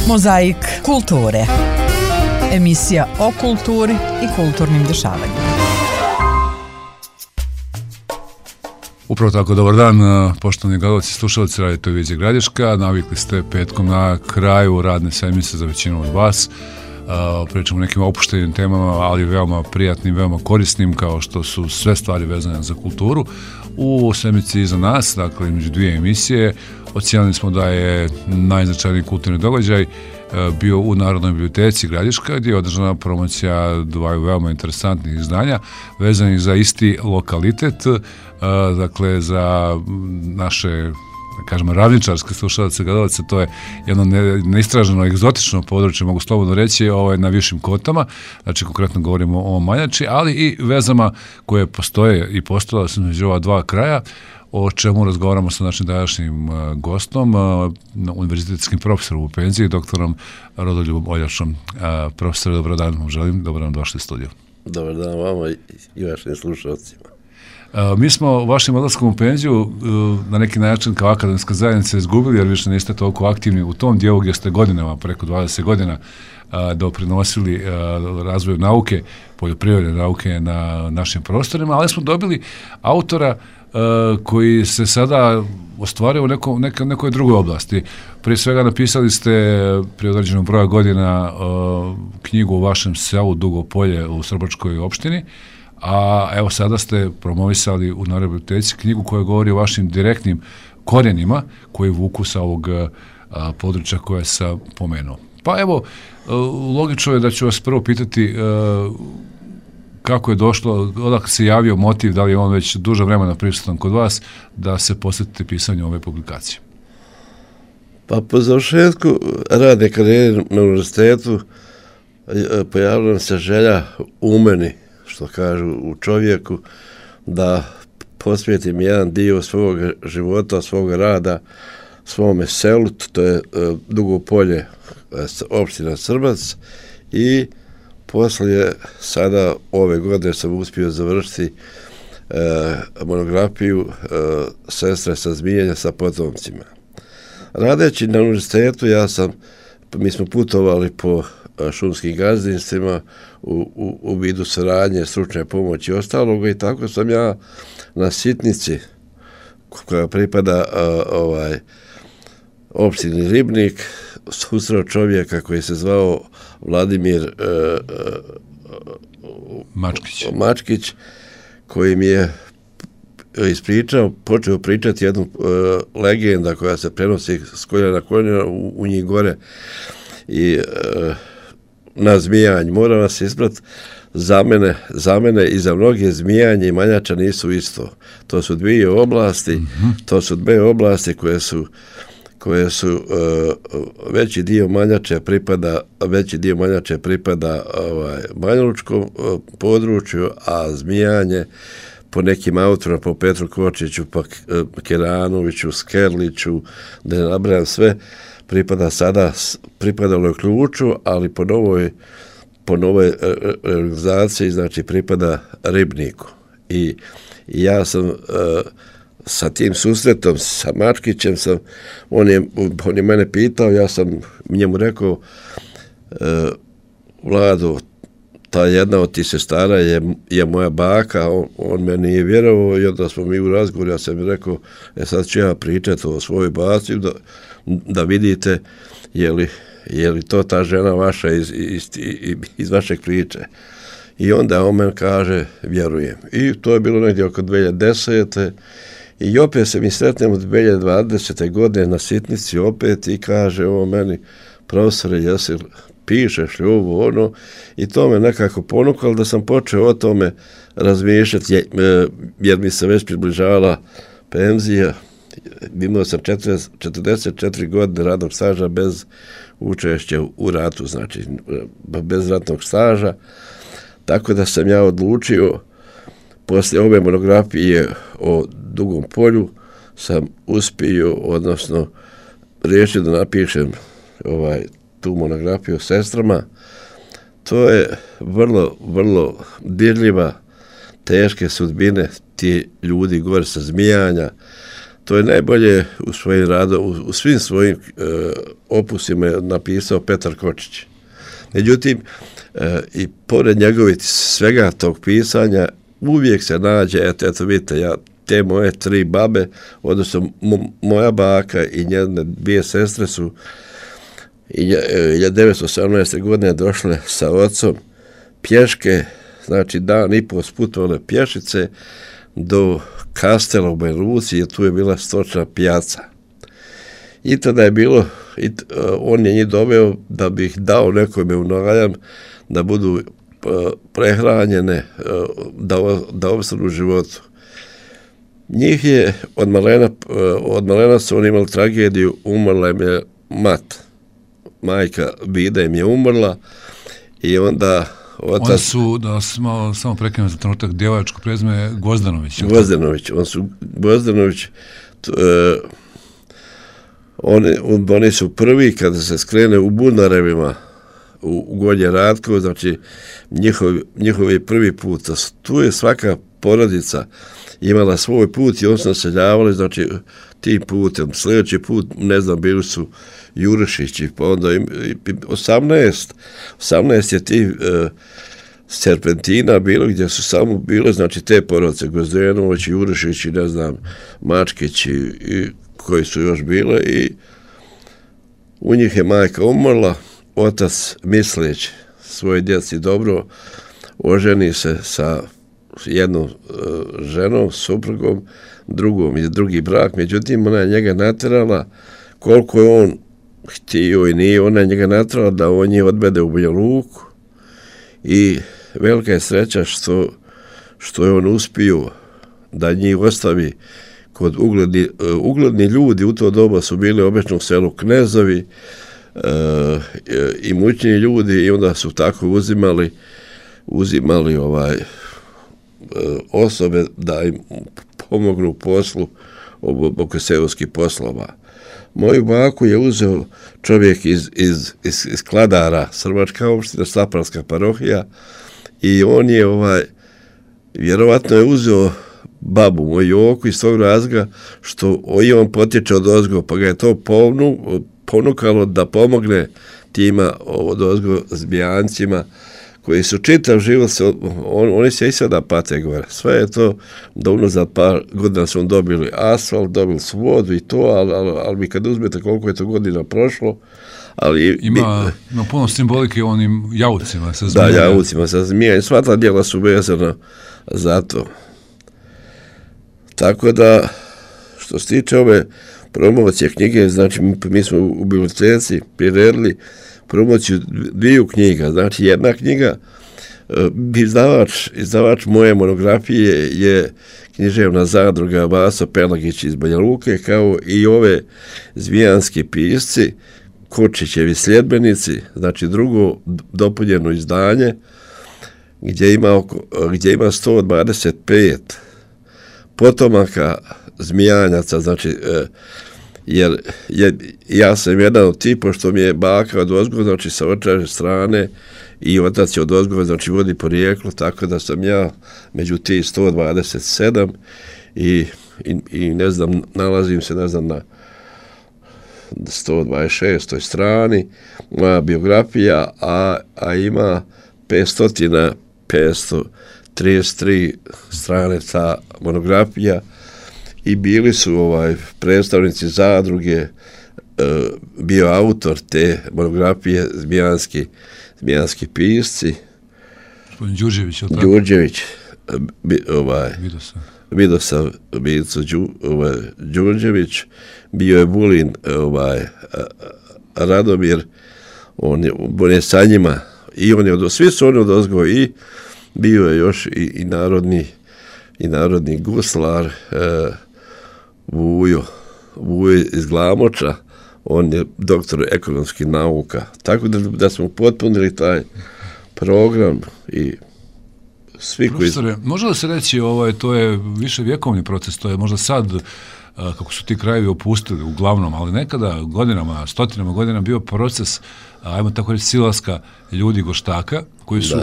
Mozaik kulture. Emisija o kulturi i kulturnim dešavanjima. Upravo tako, dobar dan, poštovani gledalci i slušalci Radio Televizije Gradiška. Navikli ste petkom na kraju radne sedmice za većinu od vas. Pričamo o nekim opuštenim temama, ali veoma prijatnim, veoma korisnim, kao što su sve stvari vezane za kulturu. U sedmici iza nas, dakle, među dvije emisije, ocijenili smo da je najznačajniji kulturni događaj bio u Narodnoj biblioteci Gradiška, gdje je održana promocija dvaju veoma interesantnih izdanja vezanih za isti lokalitet, dakle za naše, da kažemo, ravničarske slušalce, gledalce. To je jedno neistraženo, egzotično područje, mogu slobodno reći, na Višim Kotama, znači konkretno govorimo o Manjači, ali i vezama koje postoje i postojale su među ova dva kraja, o čemu razgovaramo sa našim današnjim gostom, univerzitetskim profesorom u penziji, doktorom Rodoljubom Oljašom. Profesore, dobar dan vam želim, dobro nam došli u studiju. Dobar dan vama i vašim slušalcima. Mi smo vašim odlaskom u penziju na neki način kao akademska zajednica izgubili, jer više niste toliko aktivni u tom dijelu gdje ste godinama, preko 20 godina, doprinosili razvoju nauke, poljoprivredne nauke na našim prostorima, ali smo dobili autora koji se sada ostvario u nekoj drugoj oblasti. Prije svega napisali ste prije određenog broja godina knjigu o vašem selu Dugo Polje u Srbačkoj opštini, a evo sada ste promovisali u Narodnoj biblioteci knjigu koja govori o vašim direktnim korijenima koji vuku sa ovog područja koje sam pomenuo. Pa evo, logično je da ću vas prvo pitati kako je došlo, odakle se javio motiv, da li je on već duže vremena prisutan kod vas, da se posvetite pisanju ove publikacije? Pa po završetku radne karijere na univerzitetu pojavila nam se želja u meni, što kažu u čovjeku, da posvetim jedan dio svog života, svog rada, svome selu, to je Dugo Polje, opština Srbac, i poslije sada ove godine sam uspio završiti monografiju Sestre sa Zmijenja sa potomcima. Radeći na univerzitetu, mi smo putovali po šumskim gazdinstvima u vidu saradnje, stručne pomoći i ostaloga, i tako sam ja na Sitnici, koja pripada opštini Ribnik, susreo čovjeka koji se zvao Vladimir Mačkić, koji mi je počeo pričati jednu legenda koja se prenosi s koljena na koljena u njih gore i na zmijanj. Moram vas isprati, za mene i za mnoge zmijanje i Manjača nisu isto. To su dvije oblasti, koje su veći dio Manjače pripada Banjalučkom području, a zmijanje po nekim autorima, po Petru Kočiću, pa Keranoviću, Skerliću, da ne nabrajam sve, pripadalo je Ključu, ali po novoj realizaciji, znači pripada Ribniku. I ja sam sa tim susretom, sa Mačkićem, on je mene pitao, ja sam njemu rekao, Vlado, ta jedna od tih sestara je moja baka, on me nije vjerovao, i onda smo mi u razgovoru, ja sam mi rekao, sad ću ja pričati o svojoj baci, da vidite je li to ta žena vaša iz vašeg priče. I onda on meni kaže, vjerujem. I to je bilo negdje oko 2010. I opet se mi sretnemo 2020. godine na Sitnici opet i kaže ovo meni, profesore, jesi pišeš li ovo, ono, i to me nekako ponukalo da sam počeo o tome razmišljati, jer mi se već približavala penzija. Imao sam 44 godine radnog staža bez učešća u ratu, znači bez ratnog staža, tako da sam ja odlučio, poslije ove monografije o Dugom Polju, sam uspio, odnosno riješio da napišem tu monografiju o sestrama. To je vrlo, vrlo dirljiva, teške sudbine ti ljudi gore sa Zmijanja, to je najbolje u svojim radom, u svim svojim opusima je napisao Petar Kočić. Međutim, i pored njegovih svega tog pisanja, uvijek se nađe, eto vidite, te moje 3 babe, odnosno moja baka i njene 2 sestre su 1918. godine došle sa ocom pješke, znači dan i po sputovale pješice do Kastela u Banja Luci, jer tu je bila stočna pijaca. I tada je bilo, on je njih doveo da bi ih dao nekome u najam, da budu prehranjene, da opstanu u životu. Njih je od malena su oni imali tragediju, umrla im je majka Vida im je umrla i onda otac... Oni su, da samo prekinem za trenutak, djevačko prezime Gvozdanović. Gvozdanović, oni su prvi kada se skrene u Bunarevima u Gornje Ratkovo, znači njihovi prvi put. Tu je svaka porodica imala svoj put i oni su naseljavali, znači tim putem. Sljedeći put, ne znam, bili su Jurišići, pa onda 18 je ti serpentina bilo gdje su samo bile, znači te porodice, Gvozdanović, Jurišići, ne znam, Mačkić i koji su još bile i u njih je majka umrla, otac misleći svoje djeci dobro, oženi se sa jednom ženom, suprugom, drugom iz drugi brak, međutim ona je njega naterala, koliko je on htio i nije, ona je njega naterala da on je odvede u Banja Luku i velika je sreća što je on uspio da njih ostavi kod ugledni ljudi. U to doba su bili obično u selu knezovi, imućni ljudi i onda su tako uzimali osobe da im pomognu u poslu oko seoskih poslova. Moju baku je uzeo čovjek iz Kladara, Srbačka opština, Slapanska parohija i on je vjerovatno je uzeo babu moju Joku iz tog razloga što i on potječe od ozgo, pa ga je to ponukalo da pomogne tima od ozgo zbijancima koji su čitav život, oni se i sada pate gore. Sve je to da unazad par godina su dobili asfalt, dobili su vodu i to, ali vi kad uzmete koliko je to godina prošlo, ali... Ima puno simbolike u onim javucima sa zmijenja. Da, javucima sa zmijenja. Sva ta djela su vezana za to. Tako da, što se tiče ove promocije knjige, znači mi smo u biblioteci priredili promociju 2 knjiga. Znači jedna knjiga, izdavač moje monografije je književna zadruga Vaso Pelagić iz Banja Luke, kao i ove zvijanski pisci, Kočićevi sljedbenici, znači drugo dopunjeno izdanje, gdje ima 125 potomaka zmijanjaca, znači jer ja sam jedan od tipa što mi je baka od ozgo, znači sa očeve strane i otac je od ozgo, znači vodi porijeklo, tako da sam ja među ti 127 i ne znam, nalazim se, ne znam, na 126. strani moja biografija, a ima 533 strane ta monografija i bili su predstavnici zadruge, bio autor te monografije zmijanski pisci. Gospodin Đurđević, je li tako? Đurđević, Vidosav Đurđević, bio je Vulin Radomir, on je sa njima i svi su oni odozgo i bio je još i narodni guslar Vujo iz Glamoča, on je doktor ekonomskih nauka. Tako da smo potpunili taj program i svi Profesore, može li se reći, to je više vjekovni proces, to je možda sad kako su ti krajevi opustili uglavnom, ali nekada godinama, stotinama godina bio proces, ajmo tako reći, silaska ljudi Goštaka, koji su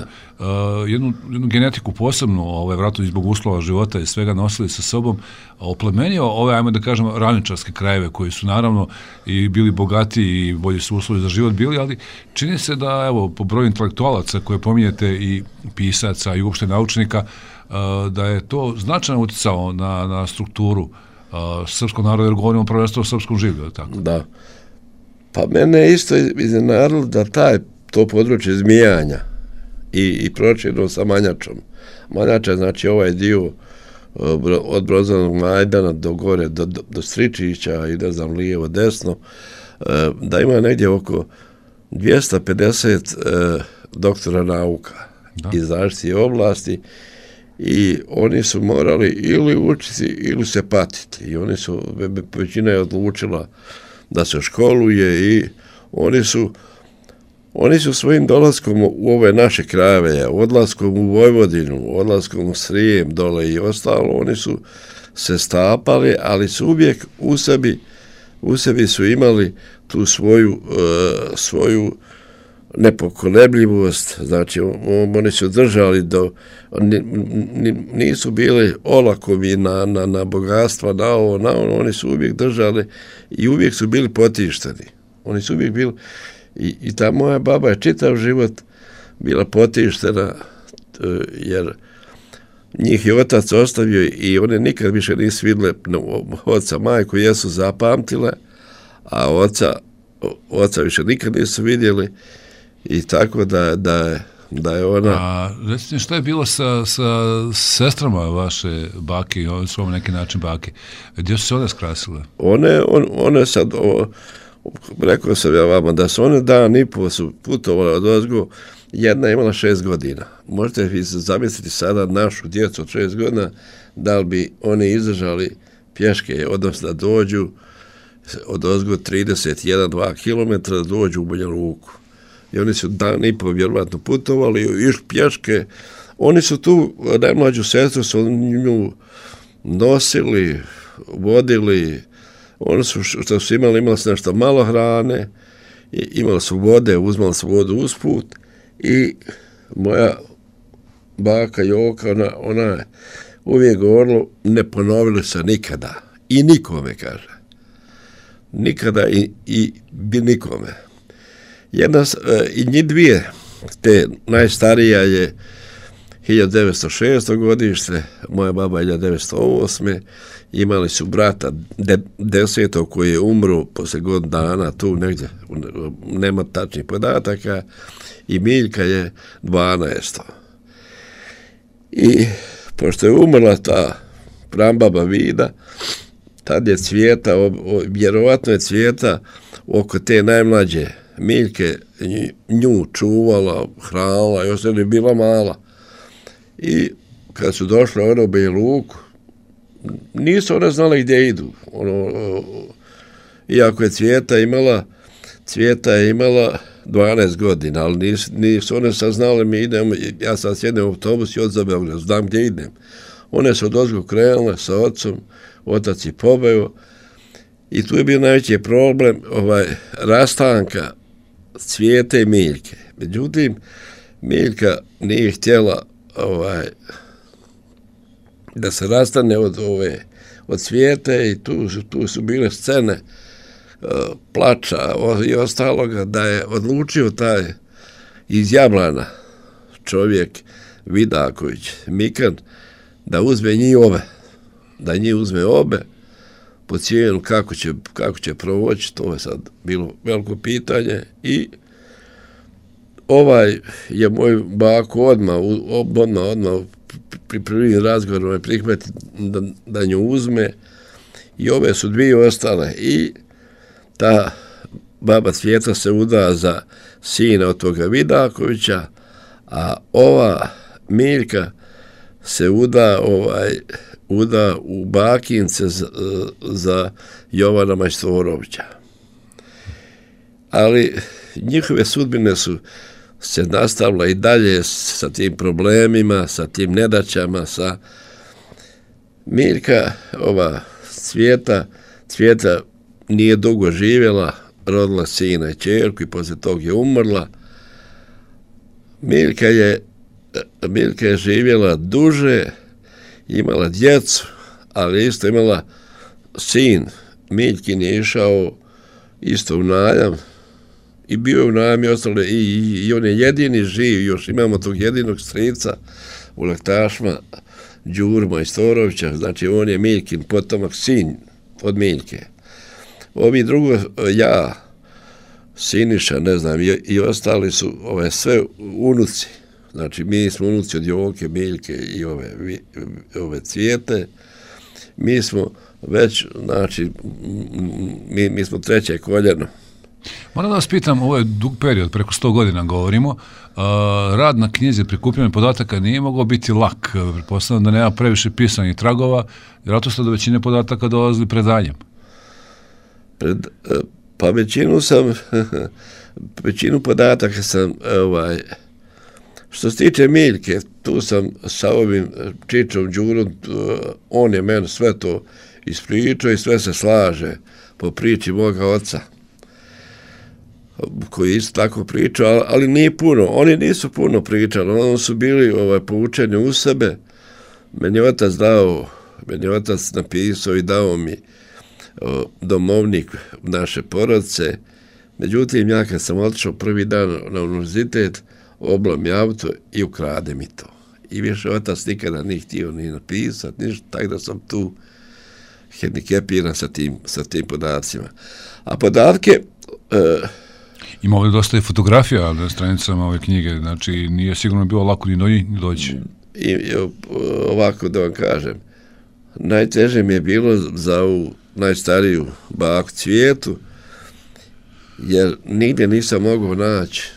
jednu genetiku posebno, vjerojatno zbog uslova života i svega nosili sa sobom, oplemenio ove, ajmo da kažemo, ravničarske krajeve, koji su naravno i bili bogati i bolji su uslovi za život bili, ali čini se da, evo, po broju intelektualaca koje pominjete i pisaca i uopšte naučnika, da je to značajno uticao na strukturu srpskog naroda, jer govorimo prvenstveno o srpskom življu, tako? Da. Pa mene je isto iznenadilo da to područje Zmijanja i prošireno sa Manjačom. Manjača, znači ovaj dio od Brozanog Majdana do gore, do Stričića i ne znam, lijevo, desno, da ima negdje oko 250 doktora nauka iz različitih oblasti i oni su morali ili učiti ili se patiti. I većina je odlučila da se školuje i oni su svojim dolaskom u ove naše krajeve, odlaskom u Vojvodinu, odlaskom u Srijem dole i ostalo, oni su se stapali, ali su uvijek u sebi su imali tu svoju nepokolebljivost, znači oni su držali nisu bili olakovi na bogatstva, na ono, oni su uvijek držali i uvijek su bili potišteni. Oni su uvijek bili i ta moja baba je čitav život bila potištena, jer njih je otac ostavio i one nikad više nisu vidjeli oca, majku jesu zapamtile, a oca više nikad nisu vidjeli i tako da je ona... A recite, šta je bilo sa sestrama vaše bake, one su vam neki način bake? Gdje su se one skrasile? One sad, rekao sam ja vama, da su one dan i po su putovale od ozgo, jedna je imala 6 godina. Možete vi zamisliti sada našu djecu od 6 godina, da li bi oni izdržali pješke, odnosno da dođu od ozgo 31-2 km, da dođu u Banja Luku. I oni su dan i po vjerovatno putovali, išli pješke. Oni su tu, najmlađu sestru su nju nosili, vodili. Oni su, što su imali su nešto malo hrane, imali su vode, uzmali su vodu usput i moja baka Joka, ona je uvijek govorila, ne ponovili se nikada. I nikome, kaže. Nikada i nikome. I njih dvije, te najstarija je 1906. godište, moja baba 1908. Imali su brata 10. koji je umro poslije godinu dana, tu negdje, nema tačnih podataka, i Miljka je 12. I pošto je umrla ta prambaba Vida, tad je Cvijeta, vjerovatno je Cvijeta oko te najmlađe Miljke nju čuvala, hranila, još je bila mala. I kad su došle one u Banja Luku, nisu one znali gdje idu. Iako je Cvijeta imala 12 godina, ali nisu one saznale, mi idemo, ja sad sjednem u autobus i od za Beograd, znam gdje idem. One su odozgo krenule sa ocom, otac je pobeo i tu je bio najveći problem rastanka Cvijete i Miljke. Međutim, Miljka nije htjela da se rastane od Cvijete i tu su bile scene plača i ostaloga, da je odlučio taj iz Jablana čovjek Vidaković Mikan da uzme njih obe po cijenu kako će provoći, to je sad bilo veliko pitanje i je moj bako odmah pri prvim razgovorom prihvati da nju uzme i ove su dvije ostale i ta baba Cvijeta se uda za sina od toga Vidakovića, a ova Miljka se uda u Bakince za Jovana Majstorovića. Ali njihove sudbine su se nastavila i dalje sa tim problemima, sa tim nedaćama, sa Miljka, Cvjeta nije dugo živjela, rodila sina i ćerku i poslije tog je umrla. Miljka je živjela duže, imala djecu, ali isto imala sin. Miljkin je išao isto u najam i bio je u najam i ostale i on je jedini živ, još imamo tog jedinog strica u Laktašma, Đuru Majstorovića, znači on je Miljkin potomak, sin od Miljke. Ovi drugo, ja, Siniša, ne znam, i ostali su sve unuci. Znači, mi smo unuci od Joke, Miljke i ove Cvijete. Mi smo već, znači, mi smo treće koljeno. Moram da vas pitam, ovo je dug period, preko 100 godina govorimo, rad na knjizi, prikupljanje podataka nije mogao biti lak. Pretpostavljam da nema previše pisanih tragova, vjerojatno ste do većine podataka dolazili predanjem. Pa većinu podataka sam, što se tiče Miljke, tu sam sa ovim Čičom Đurom, on je meni sve to ispričao i sve se slaže po priči moga oca, koji isto tako pričao, ali nije puno. Oni nisu puno pričali, oni su bili poučeni u sebe. Meni je otac napisao i dao mi domovnik naše porodice. Međutim, ja kad sam otišao prvi dan na univerzitet, oblam je auto i ukrade mi to. I više otac nikada nije htio ni napisati, ništa, tako da sam tu hendikepiran sa tim podacima. A podatke... Ima ovdje dosta i fotografija na stranicama ove knjige, znači nije sigurno bilo lako ni do njih doći. Ovako da vam kažem, najteže mi je bilo za ovu najstariju baku Cvijetu, jer nigdje nisam mogao naći.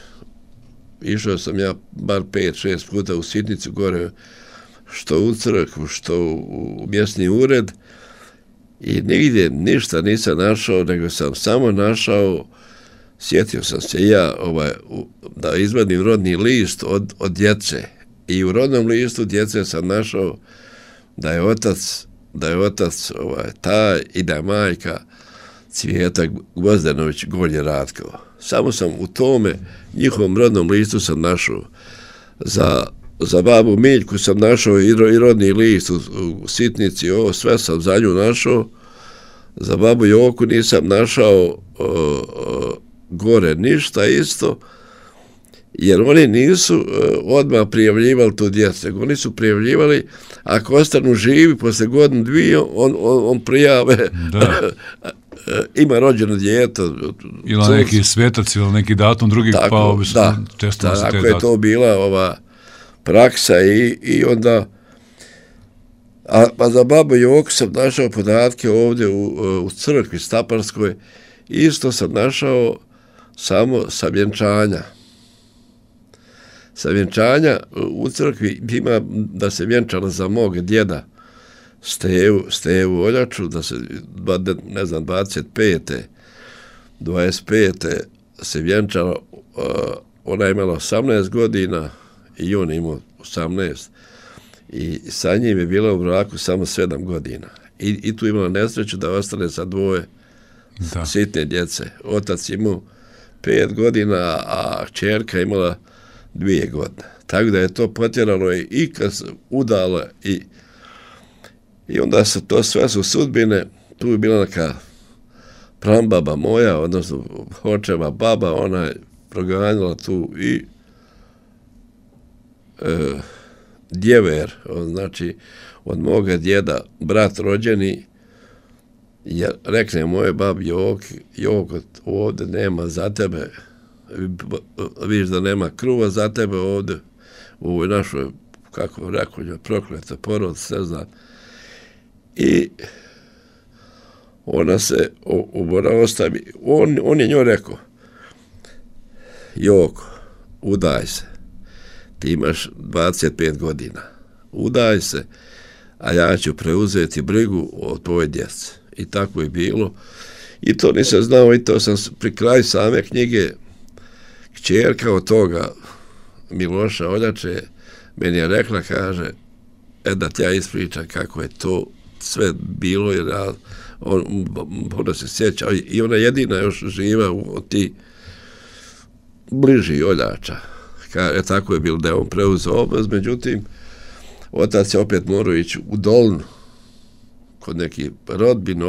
Išao sam ja bar 5-6 puta u Sitnicu gore, što u crkvu, što u mjesni ured, i nigdje ništa nisam našao, nego sam samo našao, sjetio sam se ja da izvadim rodni list od djece. I u rodnom listu djece sam našao da je otac taj i da je majka Cvijeta Gvozdenović Golje Ratkova. Samo sam u tome njihovom rodnom listu sam našao. Za babu Miljku sam našao i rodni list u Sitnici, sve sam za nju našao. Za babu Joku nisam našao gore ništa isto, jer oni nisu odmah prijavljivali tu djecu, nego oni su prijavljivali, ako ostanu živi posle godinu dvije, on prijave ima rođeno dijete. Ili neki svetac ili neki datum drugi, pa obično često se te tako je to bila praksa i onda a za babu Joku sam našao podatke ovdje u crkvi Staparskoj, isto sam našao samo sa vjenčanja. Sa vjenčanja u crkvi ima da se vjenčala za mog djeda Stevu Oljaču, da se, ne znam, 25. se vjenčala, ona je imala 18 godina i on je imao 18. I sa njim je bila u braku samo 7 godina. I tu imala nesreću da ostane sa dvoje sitne djece. Otac imao 5 godina, a kćerka imala 2 godine. Tako da je to potjeralo i kad se udala i onda se to sve su sudbine. Tu je bila neka prambaba moja, odnosno očeva baba, ona je proganjala tu i djever, znači od moga djeda, brat rođeni, jer rekne moje babi Joko, ovdje nema za tebe, vidiš da nema kruva za tebe ovdje, u ovoj našoj, kako rekao, prokleta porodica, ne znam. I ona se ostavi, on je njoj rekao, Joko, udaj se, ti imaš 25 godina, udaj se, a ja ću preuzeti brigu o tvojoj djeci. I tako je bilo. I to nisam znao, i to sam pri kraju same knjige, kćerka od toga Miloša Oljače meni je rekla, kaže, da ti ja ispričam kako je to sve bilo, jer ona se sjeća i ona jedina još živa od ti bliži oljača. Tako je bilo da je on preuzeo obraz, međutim, otac je opet morao ići u Dolnu, kod neki rodbine,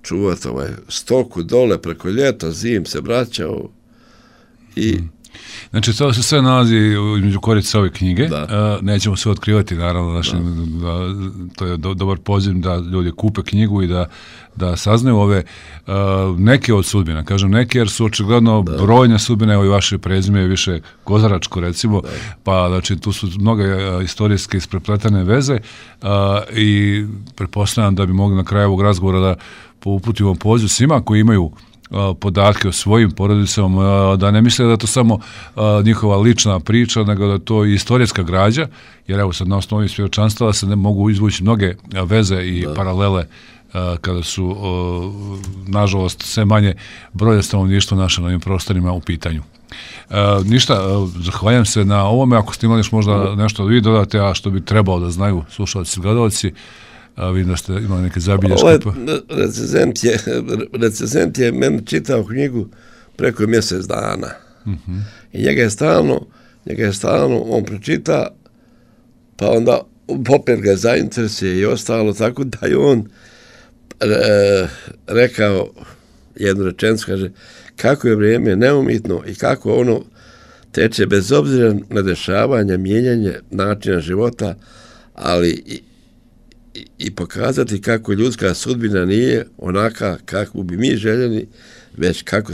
čuvat stoku dole preko ljeta, zim se vraćao i... Znači, to se sve nalazi između korica ove knjige. Nećemo sve otkrivati, naravno, to je dobar poziv da ljudi kupe knjigu i da saznaju ove neke od sudbina. Kažem neke, jer su očigledno brojne sudbine, evo i vaše prezime je više Kozaračko, recimo, pa znači tu su mnoge istorijske isprepletane veze i pretpostavljam da bi mogli na kraju ovog razgovora da uputimo poziv svima koji imaju podatke o svojim porodicama, da ne misle da je to samo njihova lična priča, nego da je to i istorijska građa, jer evo sad na osnovi svjedočanstava se ne mogu izvući mnoge veze i paralele kada su, nažalost, sve manje broja stanovništva naše na ovim prostorima u pitanju. Ništa, zahvaljam se na ovome, ako ste imali još možda nešto da vi dodate, a što bi trebalo da znaju slušalci i gledalci, vidim da ste imali neke zabilješke. Recenzent je meni čitao knjigu preko mjesec dana. I njega je stalno, on pročita, pa onda opet ga zainteresuje i ostalo, tako da je on rekao jednu rečenicu, kaže, kako je vrijeme neumitno i kako ono teče bez obzira na dešavanje, mijenjanje načina života, ali i pokazati kako ljudska sudbina nije onaka kako bi mi željeli, već kako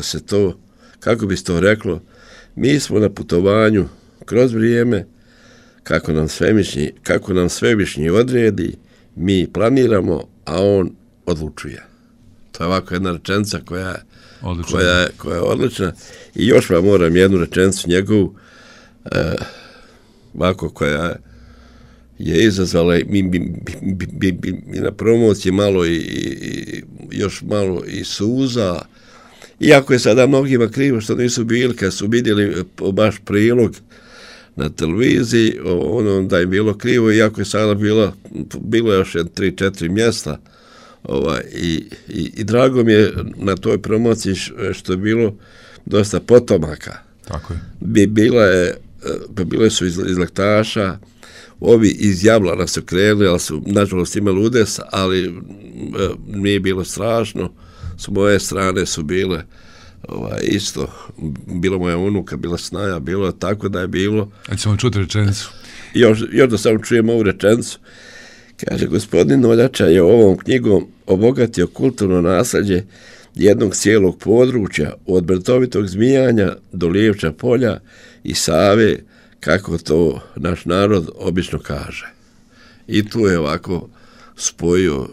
bi se to reklo, mi smo na putovanju kroz vrijeme, kako nam svevišnji odredi, mi planiramo, a on odlučuje. To je ovako jedna rečenica koja je odlična. I još vam moram jednu rečenicu njegovu, ovako koja je izazvala mi na promociji malo i još malo i suza, iako je sada mnogima krivo što nisu bili, kad su vidjeli baš prilog na televiziji, da je bilo krivo, iako je sada bilo još 3-4 mjesta, i drago mi je na toj promociji što je bilo dosta potomaka. Tako je. Bile su iz Lektaša, ovi iz Jablana su krenuli, ali su nažalost imali udes, ali nije bilo strašno. S moje strane su bile isto, bila moja unuka, bila snaja, bilo tako da je bilo. A ćemo čuti rečenicu. Još da samo čujem ovu rečenicu. Kaže, gospodin Oljača je ovom knjigom obogatio kulturno nasljeđe jednog cijelog područja, od Brtovitog Zmijanja do Lijevča polja i Save, kako to naš narod obično kaže. I tu je ovako spojio.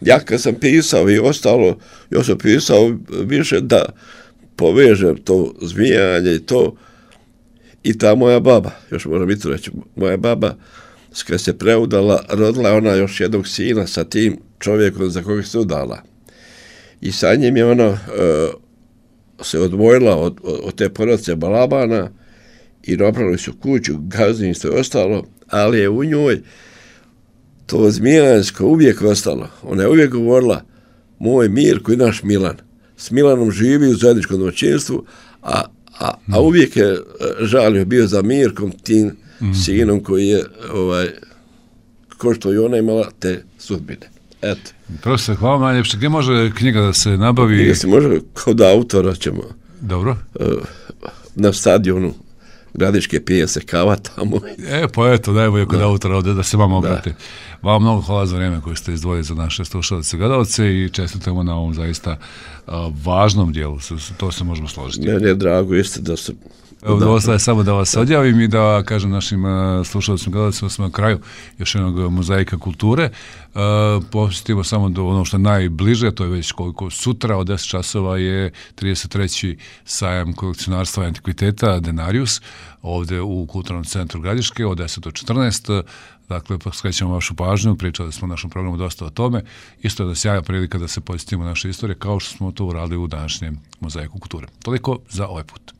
Ja kad sam pisao i ostalo, još sam pisao više da povežem to Zmijanje i to. I ta moja baba, još moram i to reći, moja baba, kad se preudala, rodila ona još jednog sina sa tim čovjekom za koga se udala. I sa njim je ona se odvojila od te porodice Balabana i napravili su kuću, gazdinstvo i ostalo, ali je u njoj to zmijansko uvijek ostalo. Ona je uvijek govorila, moj Mirko i naš Milan. S Milanom živi u zajedničkom domaćinstvu, a uvijek je žalio bio za Mirkom, tim sinom koji je, ko što i ona imala te sudbine. Eto. Profesor, hvala vam najljepše. Gdje može knjiga da se nabavi? Knjiga se može, kod autora ćemo. Dobro. Na stadionu Gradiške pije se kava tamo. Pa eto, najbolje kod autora ovdje da se vam obrati. Vam mnogo hvala za vrijeme koje ste izdvojili za naše slušalce i gledalce i čestitamo na ovom zaista važnom dijelu. To se možemo složiti. Meni je drago isto da se... Evo, ostaje samo da vas odjavim i da kažem našim slušalcima i gledalcima smo na kraju još jednog mozaika kulture. Posjetimo samo do ono što je najbliže, to je već koliko sutra od 10 časova je 33. sajam kolekcionarstva i antikviteta Denarius, ovdje u Kulturnom centru Gradiške od 10 do 14. Dakle, skrećemo vašu pažnju, pričali smo u našem programu dosta o tome. Isto je da sjaja prilika da se posjetimo naše istorije kao što smo to uradili u današnjem mozaiku kulture. Toliko za ovaj put.